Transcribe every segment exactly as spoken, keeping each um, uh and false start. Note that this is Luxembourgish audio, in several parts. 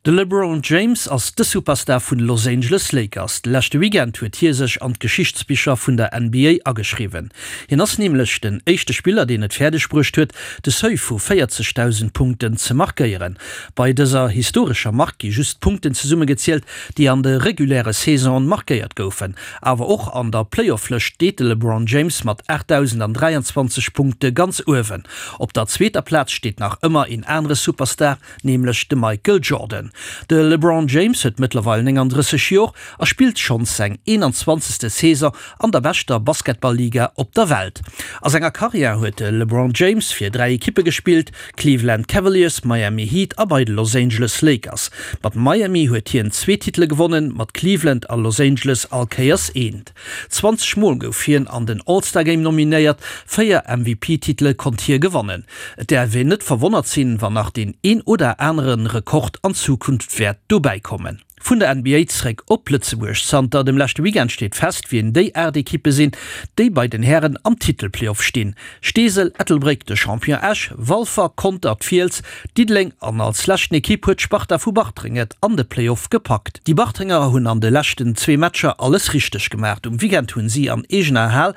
De LeBron James ass de Superstar vun de Los Angeles Lakers. De leschte Weekend huet hie sech an d'Geschichtsbicher vun der N B A ageschriwwen. Hien ass nämlech den éischte Spiller, deen et fäerdeg bruecht huet, de Seuil vu véierzegdausend Punkten ze markéieren. Bei dëser historescher Mark gi just d'Punkten zesummegezielt, déi an de reguläre Saisonen markéiert goufen. Awer och an der Playoff-Lëscht steet de LeBron James mat aachtdausendandräianzwanzeg Punkte ganz uewen. Op der zweeter Plaz steet nach ëmmer een anere Superstar, nämlech de Michael Jordan. De LeBron James huet mëttlerweil néngandrësseg Joer a spillt schonns seng eenanzwanzegste Saison an der beschter Basketball-Liga op der Welt. A senger Karriär huet de LeBron James fir dräi Ekippe gespillt, Cleveland Cavaliers, Miami Heat a bei de Los Angeles Lakers. Mat Miami huet hien zwee Titele gewonnen, mat Cleveland a Los Angeles all Kéiers eent. Zwanzeg Mol gouf hien an den All-Star Game nominéiert, véier M V P-Titele konnt hie gewannen. Et däerf een net verwonnert sinn, wann nach deen een oder anere Rekord an Zukunft wäert dobäi kommen. Vun der N B A zréck op Lëtzebuerg. Zanter dem leschte Weekend steet fest, wien déi aacht Ekippe sinn, déi bei den Hären am Titelplayoff stinn. Steesel, Ettelbréck, de Champion Esch, Walfer, Conter, d'Fiels, Diddeleng an als leschten Ekipp huet d'Sparta vu Bartreng et an de Playoff gepackt. Déi Bartrenger hunn an de leschten zwee Matcher alles richteg gemaach. Um Weekend hunn si an eegener Hal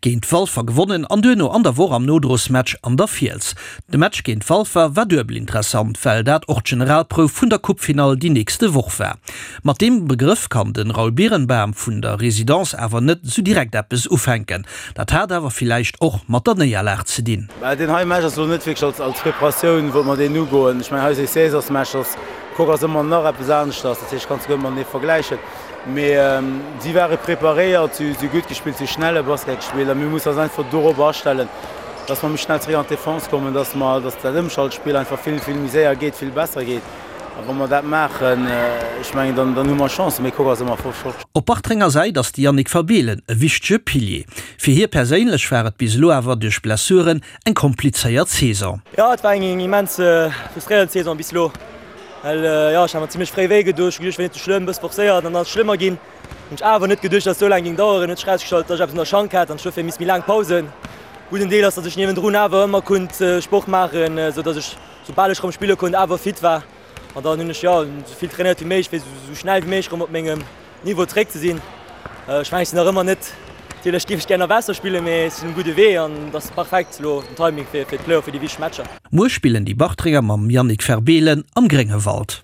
géint Walfer gewonnen an duerno an der Woch am Nodrosmatch an der Fiels. De Match géint Walfer war duebel interessant, well dat och d'Generalprouf vun der Coupe-Finall déi nächste Woch war. Mat deem Begrëff kann den Raoul Birenbaum vun der Residence awer net sou direkt eppes ufänken. Dat hat awer villäicht och mat der Néierlag ze dinn. Well den hei Match ass lo net wierklech als, als Preparatioun, wou mer deen ugoen. Ech mengen, hei si Saisonsmatch, ass Coque ass ëmmer nach eppes aneschters, dat heescht, kannst du ëmmer net vergläichen. Mee, ähm, si ware preparéiert, si, si gutt gespillt, si schnelle Basket gespillt a mir mussen eis einfach dorop astellen, dass mer méi schnell zréck an d'Defense kommen, dass mer, dass dat Ëmschaltspill einfach vill, vill méi séier geet, vill besser geet. A wann mer dat maachen, äh, ech mengen, dann, dann hu mer Chance, mee Coque ass ëmmer voll flott. Op Bartrenger Säit ass de Yannick Verbeelen e wichtege Pilier. Fir hie perséinlech war et bis elo awer duerch Blessuren eng komplizéiert Saison. Ja, et war eng immens, äh, frustréierend Saison bis elo. Well, äh, ja, ech hat mir zimmlech fréi wéi geduecht, ech war net so schlëmm, e bësse forcéiert, dann ass et schlëmmer ginn. Hunn ech awer net geduecht, dass et so laang ging dauern, huet sech rausgestallt, dass ech eppes an der Schank hat an ech dofir misst méi laang pausen. Gudden Deel ass, dass ech niewendrun awer ëmmer konnt, äh, Sport maachen, äh, sou dass ech, soubal ech rëm spille konnt, awer fit war. An dann hunn ech, ja, so vill trainiert wéi méiglech, fir so, so schnell wéi méiglech rëm op mengem Niveau zréck ze sinn. Äh, ech mengen, ech sinn nach ëmmer net, natierlech géif ech gerne nach besser spillen, mee ech sinn um gudde Wee an das ist perfekt lo den Timing fir, fir d'Playoff, fir déi wichteg Matcher. Muer spillen déi Bartrenger mam Yannick Verbeelen am Gréngewald.